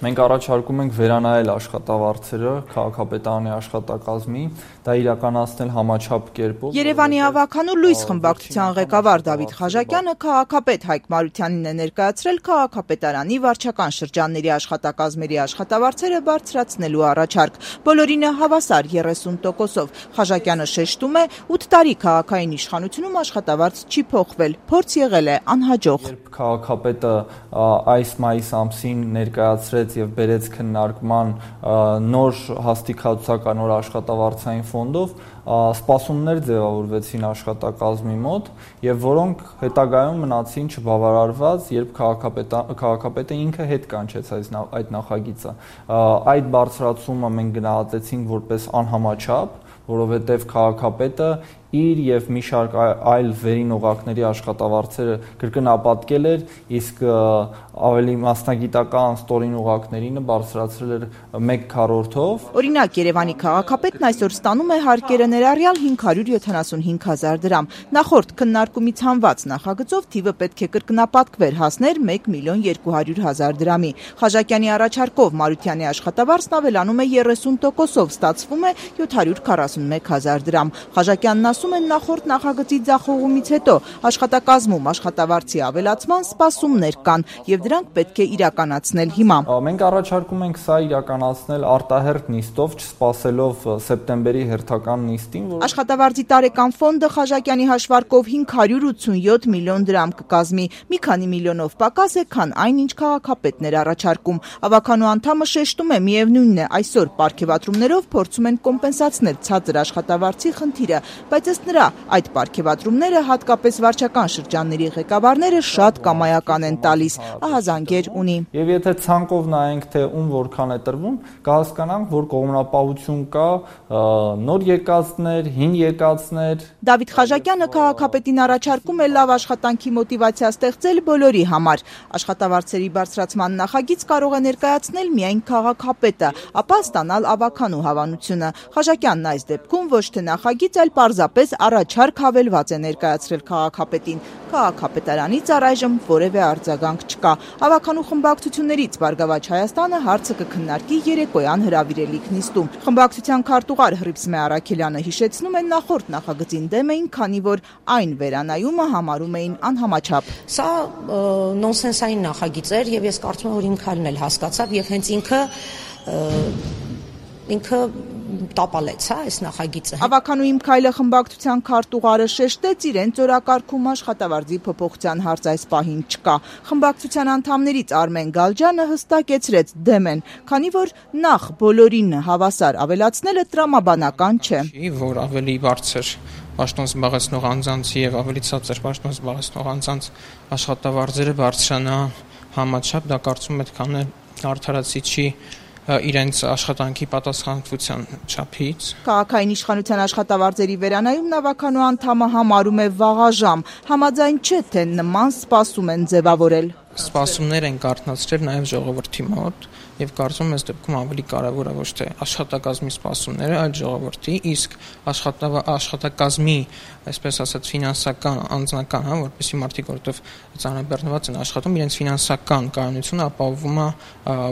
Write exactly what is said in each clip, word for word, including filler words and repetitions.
Մենք առաջարկում ենք վերանայել աշխատավարձերը քաղաքապետարանի աշխատակազմի, դա իրականացնել համաչափ կերպով։ Երևանի ավագանու լույս խմբակցության ղեկավար Դավիթ Խաչատյանը քաղաքապետ Հայկ Մարությանին է ներկայացրել քաղաքապետարանի վարչական շրջանների աշխատակազմերի աշխատավարձերը բարձրացնելու առաջարկ։ Բոլորին է հավասար երեսուն տոկոսով։ Խաչատյանը շեշտում է, ութ տարի քաղաքային իշխանությունում աշխատավարձ չի փոխվել, փորձ եղել է անհաջող։ Երբ քաղաքապետը այս մայիս ամսին ներկայացրեց եւ բերեց քննարկման նոր հաստիկացական նոր աշխատավարձային ֆոնդով, սպասումներ ձևավորվեցին աշխատակազմի մոտ եւ որոնք հետագայում մնացին չբավարարված, երբ քաղաքապետը ինքը հետ կանչեց այդ նախագիծը։ Այդ բարձրացումը մենք գնահատեցինք որպես անհամաչափ, որովհետեւ քաղաքապետը իր եւ մի շարք այլ վերին օղակների աշխատավարձերը կրկնապատկել էր, իսկ ավելի մասնագիտական ստորին օղակներինը բարձրացրել էր մեկ քառորդով։ Օրինակ, Երևանի քաղաքապետն այսօր ստանում է հարկերը ներառյալ հինգ հարյուր յոթանասունհինգ հազար դրամ։ Նախորդ քննարկումից հանված նախագծով թիվը պետք է կրկնապատկվեր, հասներ մեկ միլիոն երկու հարյուր հազար դրամի։ Խաչատյանի առաջարկով Մարությանի աշխատավարձն ավելանում է երեսուն տոկոսով, ստացվում է յոթ հարյուր քառասունմեկ հազար դրամ։ Խաչատյանն ասում են նախորդ նախագծի ձախողումից հետո աշխատակազմում աշխատավարձի ավելացման սպասումներ կան եւ դրանք պետք է իրականացնել հիմա։ Մենք առաջարկում ենք սա իրականացնել արտահերթ նիստով, չսպասելով սեպտեմբերի հերթական նիստին, որ աշխատավարձի տարեկան ֆոնդը Խաչատյանի հաշվարկով հինգ հարյուր ութսունյոթ միլիոն դրամ կկազմի, մի քանի միլիոնով պակաս է, քան այն, ինչ քաղաքապետն էր առաջարկում։ Ավագանու անդամը շեշտում է, միևնույնն է, այսօր պարգևատրումներով փորձում են կոմպենսացնել ցածր աշխատավարձի խնդիրը, բայց ըստ նրա այդ պարգևատրումները հատկապես վարչական շրջանների ղեկավարները շատ կամայական են տալիս, ահազանգեր ունի։ Եվ եթե ցանկով նայենք, թե ում որքան է տրվում, կհասկանանք, որ կողմնապահություն կա, նոր եկածներ, հին եկածներ։ Դավիթ Խաչատյանը քաղաքապետին առաջարկում է լավ աշխատանքի մոտիվացիա ստեղծել բոլորի համար։ Աշխատավարձերի բարձրացման նախագիծ կարող է ներկայացնել միայն քաղաքապետը, ապա ստանալ ավագանու հավանությունը։ Խաչատյանն այս դեպքում ոչ թե նախագիծ, այլ պարզապես առաջարկ հավելված է ներկայացրել քաղաքապետին։ Քաղաքապետարանից առայժմ որևէ արձագանք չկա։ Ավագանու խմբակցություններից Բարգավաճ Հայաստանը հարցը կքննարկի երեկոյան հրավիրելիք նիստում։ Խմբակցության քարտուղար Հռիփսմե Առաքելյանը հիշեցնում է, նախորդ նախագծին դեմ էին, քանի որ այն վերանայումը համարում էին անհամաչափ։ Սա նոնսենսային նախագիծ էր եւ ես կարծում եմ, որ իմ քայլն էլ հասկացավ եւ հենց ինքը ինքը տապալեց հա այս նախագիծը։ Ավագանու իմ քայլը խմբակցության քարտուղարը շեշտեց, իրենց օրակարգում աշխատավարձի փոփոխության հարց այս պահին չկա։ Խմբակցության անդամներից Արմեն Գալջյանը հստակեցրեց դեմ են, քանի որ նախ բոլորին հավասար ավելացնելը տրամաբանական չէ։ Որ ավելի բարձր պաշտոն զբաղեցնող անձանց եւ ավելի ցածր պաշտոն զբաղեցնող անձանց աշխատավարձերը բարձրանան համաչափ, դա կարծում եմ պետք է անել արդարացիչի իրենց աշխատանքի պատասխանատվության չափից։ Քաղաքային իշխանության աշխատավարձերի վերանայումն ավագանու անդամը համարում է վաղաժամ, համաձայն չէ, թե նման սպասում են ձևավորել։ Սպասումներ են կարդացրել նաև ժողովրդի մոտ եւ կարծում եմ, այս դեպքում ավելի կարեւոր է ոչ թե աշխատակազմի սպասումները, այլ ժողովրդի, իսկ աշխատակազմի, այսպես ասած, ֆինանսական անձնական, հա, որպեսզի մարդիկ, որովհետեւ ծանրաբեռնված են աշխատում, իրենց ֆինանսական կայունությունը ապահովում է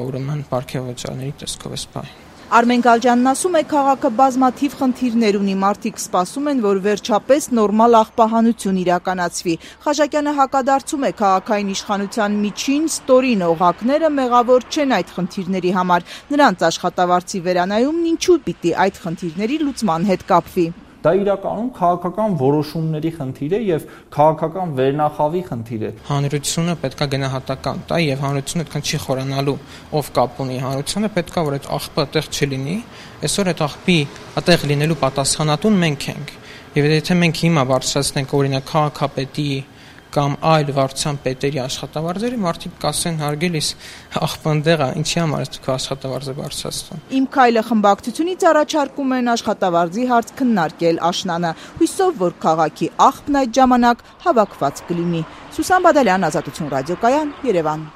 ուրեմն պարգևատրների տեսքով այս պահին։ Արմեն Գալջյանն ասում է, քաղաքը բազմաթիվ խնդիրներ ունի, մարդիկ սպասում են, որ վերջապես նորմալ աղբահանություն իրականացվի։ Խաչատյանը հակադարձում է, քաղաքային իշխանության միջին ստորին օղակները մեղավոր չեն այդ խնդիրների համար։ Նրանց աշխատավարձի վերանայումն ինչու պիտի այդ խնդիրների լուծման հետ կապվի։ Դա իրականում քաղաքական որոշումների խնդիր է եւ քաղաքական վերնախավի խնդիր է։ Հանրությունը պետք է գնահատական տա եւ հանրությունը այդքան չի խորանալու, ով կապ ունի հանրությունը, պետք է որ այդ աղբը այդտեղ չլինի։ Այսօր այդ աղբի այդտեղ լինելու պատասխանատուն մենք ենք։ Եվ եթե մենք հիմա բարձրացնենք օրինակ քաղաքապետի կամ այլ վարչության պետերի աշխատավարձերը, մարդիկ կասեն հարգելիս աղբանդեղա, ինչի համար է քո աշխատավարձը բարձրացնում։ Իմ քայլը խմբակցությունից առաջարկում են աշխատավարձի հարց քննարկել աշնանը, հույսով, որ քաղաքի աղբն այդ ժամանակ հավաքված կլինի։ Սուսան Բադալյան, Ազատություն ռադիոկայան, Երևան։